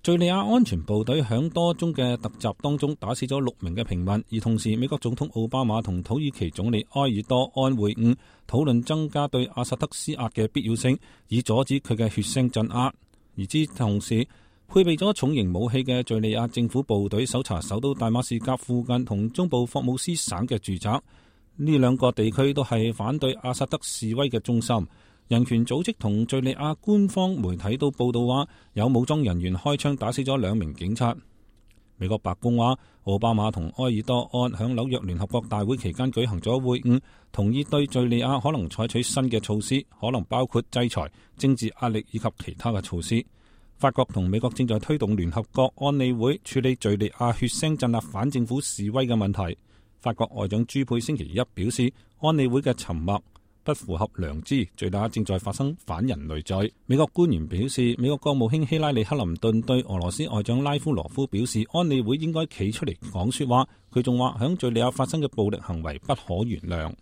敘利亞安全部隊響多宗嘅突襲當中打死咗6名嘅平民，而同時美國總統奧巴馬同土耳其總理埃爾多安會晤，討論增加對阿薩德施壓嘅必要性，以阻止佢嘅血腥鎮壓。而之同時，配備咗重型武器嘅敘利亞政府部隊搜查首都大馬士革附近同中部霍姆斯省嘅住宅，呢兩個地區都係反對阿薩德示威嘅中心。人權組織同敘利亞官方媒體都報道話，有武裝人員開槍打死咗2名警察。美國白宮話，奧巴馬同埃爾多安響紐約聯合國大會期間舉行咗會晤，同意對敘利亞可能採取新嘅措施，可能包括制裁、政治壓力以及其他嘅措施。法國同美國正在推動聯合國安理會處理敘利亞血腥鎮壓反政府示威嘅問題。法國外長朱佩星期一表示，安理會嘅沉默不符合良知，敘利亞正在發生反人類罪。美國官員表示，美國國務卿希拉里克林頓對俄羅斯外長拉夫羅夫表示，安理會應該企出嚟講說話。佢仲話，響敘利亞發生嘅暴力行為不可原諒。